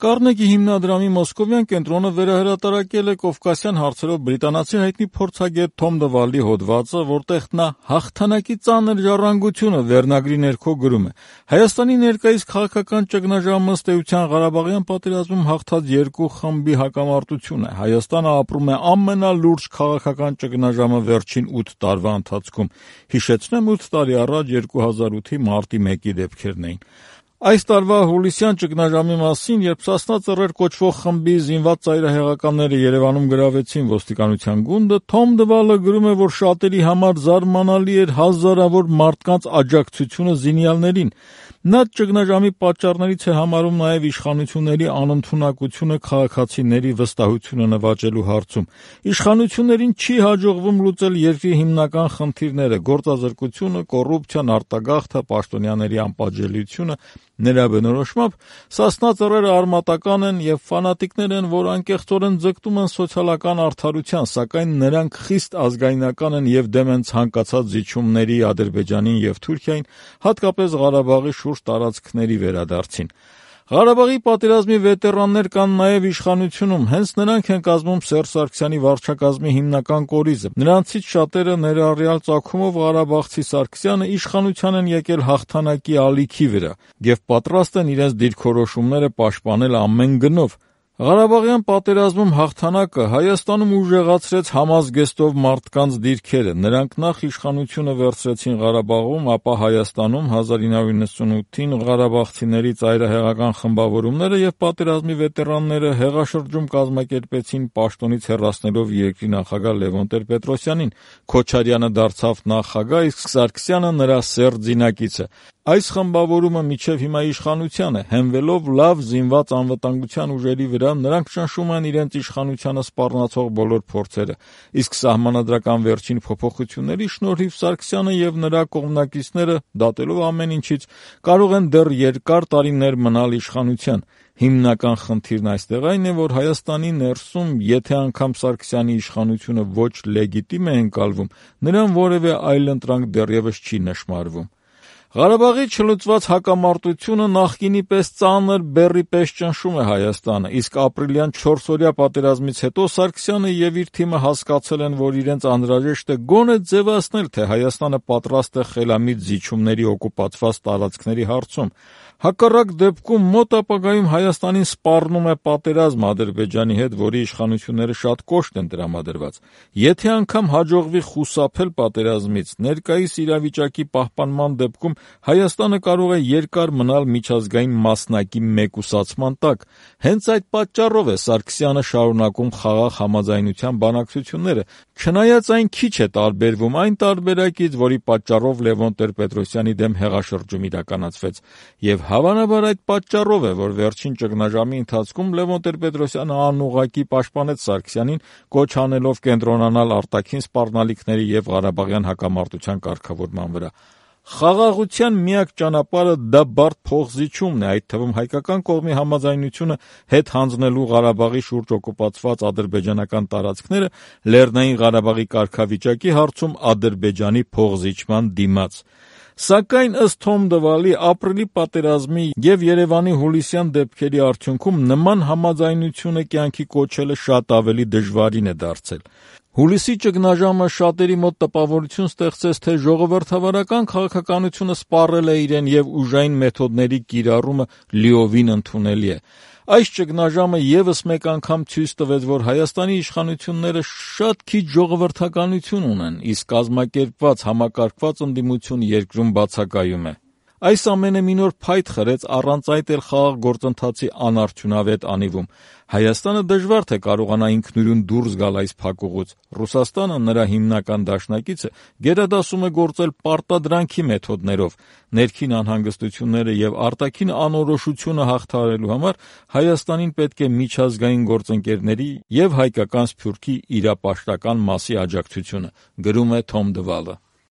Կառնեգի հիմնադրամի մոսկովյան կենտրոնը վերահրատարակել է կովկասյան հարցերով բրիտանացի հայտնի փորձագետ Թոմ Դվալի հոդվածը, որտեղ նա «Հաղթանակի ծանր ժառանգությունը» վերնագրի ներքո գրում է. Հայաստանի ներկայիս քաղաքական ճգնաժամը ըստ էության Ղարաբաղյան պատերազմում հաղթած երկու խմբի հակամարտություն է։ Հայաստանը ապրում է ամենալուրջ քաղաքական ճգնաժամը վերջին 8 տարվա ընթացքում։ Հիշեցնեմ, 8 տարի առաջ 2008-ի մարտի 1-ի դեպքերն էին։ Այս տարվա հուլիսյան ճգնաժամի մասին, երբ Սասնա Ծռեր կոչվող խմբի զինված ծայրահեղականները Երևանում գրավեցին ոստիկանության գունդը, Թոմ Դվալը գրում է, որ շատերի համար զարմանալի էր հազարավոր մարդկանց աջակցությունը զինյալներին։ Նա ճգնաժամի պատճառներից է համարում նաև իշխանությունների անընդունակությունը քաղաքացիների վստահությունը նվաճելու հարցում։ Իշխանություններին չի հաջողվում լուծել երկրի հիմնական խնդիրները՝ գործազրկությունը, կոռուպցիան, արտագաղթը, պաշտոնյաների անպատժելիությունը։ Նրա բնորոշմամբ Սասնա Ծռերը արմատական են եւ ֆանատիկներ են, որ անկեղծորեն ձգտում են սոցիալական արդարության, սակայն նրանք խիստ ազգայնական են եւ դեմ են ցանկացած զիջումների Ադրբեջանին եւ Թուրքիային, հատկապես Ղարաբաղի շուրջ տարածքների վերադարձին։ Ղարաբաղի պատերազմի վետերաններ կան նաև իշխանությունում, հենց նրանք են կազմում Սերժ Սարգսյանի վարչակազմի հիմնական կորիզը։ Նրանցից շատերը, ներառյալ ծագումով ղարաբաղցի Սարգսյանը, իշխանության են եկել հաղթանակի ալիքի վրա եւ պատրաստ են իրենց դիրքորոշումները պաշտպանել ամեն գնով։ Ղարաբաղյան պատերազմում հաղթանակը Հայաստանում ուժեղացրեց համազգեստով մարդկանց դիրքերը։ Նրանք նախ իշխանությունը վերցրեցին Ղարաբաղում, ապա Հայաստանում 1998-ին ղարաբաղցիների ծայրահեղական խմբավորումները եւ պատերազմի վետերանները հեղաշրջում կազմակերպեցին պաշտոնից հեռացնելով երկրի նախագահ Լևոն Տեր-Պետրոսյանին։ Քոչարյանը դարձավ նախագահ, իսկ Սարգսյանը նրա սերտ զինակիցը։ Այս խմբավորումը մինչև հիմա իշխանության է, հենվելով լավ զինված անվտանգության ուժերի վրա, նրանք ճնշում են իրենց իշխանությանը սպառնացող բոլոր փորձերը, իսկ սահմանադրական վերջին փոփոխությունների շնորհիվ Սարգսյանը եւ նրա կողմնակիցները, դատելով ամեն ինչից, կարող են դեռ երկար տարիներ մնալ իշխանության։ Հիմնական խնդիրն այստեղ այն է, որ Հայաստանի ներսում, եթե անգամ Սարգսյանի իշխանությունը ոչ լեգիտիմ է ընկալվում, նրան որևէ այլընտրանք դեռևս չի նշմարվում։ Ղարաբաղի չլուծված հակամարտությունը նախկինի պես ծանր բեռի պես ճնշում է Հայաստանը, իսկ ապրիլյան 4-օրյա պատերազմից հետո Սարգսյանը եւ իր թիմը հասկացել են, որ իրենց անհրաժեշտ է գոնե ձևացնել, թե Հայաստանը պատրաստ է խելամիտ զիջումների օկուպացված տարածքների հարցում։ Հակառակ դեպքում մոտ ապագայում Հայաստանին սպառնում է պատերազմ Ադրբեջանի հետ, որի իշխանությունները շատ կոշտ են տրամադրված։ Եթե անգամ հաջողվի խուսափել պատերազմից, ներկայիս իրավիճակի պահպանման դեպքում Հայաստանը կարող է երկար մնալ միջազգային մասնակի մեկուսացման տակ։ Հենց այդ պատճառով է Սարգսյանը շարունակում խաղաղ համաձայնության բանակցությունները, չնայած այն քիչ է տարբերվում այն տարբերակից, որի պատճառով Լևոն Տեր-Պետրոսյանի դեմ հեղաշրջում իրականացվեց։ Եվ հավանաբար այդ պատճառով է, որ վերջին ճգնաժամի ընթացքում Լևոն Տեր-Պետրոսյանը անուղղակի պաշտպանեց Սարգսյանին, կոչ անելով կենտրոնանալ արտաքին սպառնալիքների եւ Ղարաբաղյան հակամարտության կարգավորման վրա։ Խաղաղության միակ ճանապարհը դա բարդ փոխզիջումն է, այդ թվում հայկական կողմի համաձայնությունը հետ հանձնելու Ղարաբաղի շուրջ օկուպացված ադրբեջանական տարածքները Լեռնային Ղարաբաղի կարգավիճակի հարցում Ադրբեջանի փոխզիջման դիմաց։ Սակայն ըստ Թոմ Դվալի, ապրիլի պատերազմի եւ Երևանի հուլիսյան դեպքերի արդյունքում նման համաձայնությունը կյանքի կոչելը շատ ավելի դժվարին է դարձել։ Հուլիսի ճգնաժամը շատերի մոտ տպավորություն ստեղծեց, թե ժողովրդավարական քաղաքականությունը սպառել է իրեն եւ ուժային մեթոդների կիրառումը լիովին ընդունելի է։ Այս ճգնաժամը եւս մեկ անգամ ցույց տվեց, որ Հայաստանի իշխանությունները շատ քիչ ժողովրդականություն ունեն, իսկ կազմակերպված համակարգված ընդդիմություն երկրում բացակայում է։ Այս ամենը մի նոր փայտ խրեց առանց այդ էլ խաղաղ գործընթացի անարդյունավետ անիվում։ Հայաստանը դժվար թե կարողանա ինքնուրույն դուրս գալ այս փակուղուց։ Ռուսաստանը, նրա հիմնական դաշնակիցը, գերադասում է գործել պարտադրանքի մեթոդներով։ Ներքին անհանգստությունները եւ արտաքին անորոշությունը հաղթահարելու համար Հայաստանին պետք է միջազգային գործընկերների եւ հայկական Սփյուռքի իրապաշտական մասի աջակցությունը, գրում է Թոմ Դվալը։